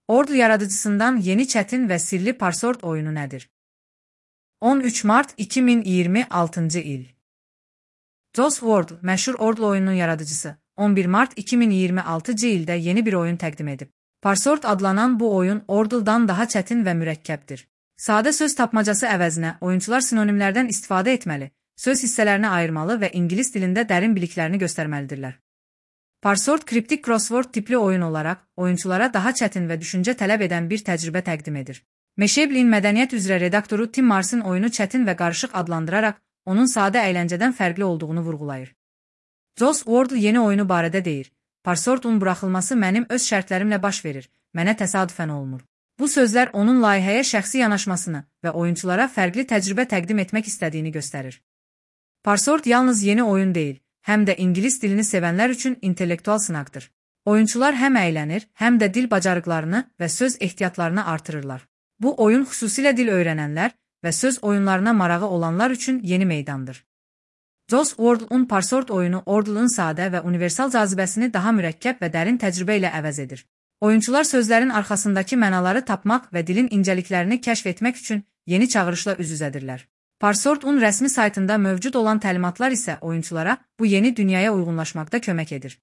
Ordle yaradıcısından yeni çətin və sirli Parsword oyunu nədir? 13 Mart 2026 il. Joss Ward, məşhur Ordle oyununun yaradıcısı, 11 Mart 2026 ildə yeni bir oyun təqdim edib. Parsword adlanan bu oyun Ordle'dan daha çətin və mürəkkəbdir. Sadə söz tapmacası əvəzinə oyunçular sinonimlərdən istifadə etməli, söz hissələrini ayırmalı və ingilis dilində dərin biliklərini göstərməlidirlər. Parsword kriptik crossword tipli oyun olaraq oyunçulara daha çətin və düşüncə tələb edən bir təcrübə təqdim edir. Meşeblin mədəniyyət üzrə redaktoru Tim Mars'ın oyunu çətin və qarışıq adlandıraraq onun sadə əyləncədən fərqli olduğunu vurğulayır. Joss Ward yeni oyunu barədə deyir. Parsword'un buraxılması mənim öz şərtlərimlə baş verir, mənə təsadüfən olmur. Bu sözlər onun layihəyə şəxsi yanaşmasını və oyunçulara fərqli təcrübə təqdim etmək istədiyini göstərir. Parsword yalnız yeni oyun deyil, həm də ingilis dilini sevənlər üçün intellektual sınaqdır. Oyunçular həm əylənir, həm də dil bacarıqlarını və söz ehtiyatlarını artırırlar. Bu oyun xüsusilə dil öyrənənlər və söz oyunlarına marağı olanlar üçün yeni meydandır. Joss Ward'un Parsword oyunu Ordle'ın sadə və universal cazibəsini daha mürəkkəb və dərin təcrübə ilə əvəz edir. Oyunçular sözlərin arxasındakı mənaları tapmaq və dilin incəliklərini kəşf etmək üçün yeni çağırışla üz-üzədirlər. Parsword'un rəsmi saytında mövcud olan təlimatlar isə oyunçulara bu yeni dünyaya uyğunlaşmaqda kömək edir.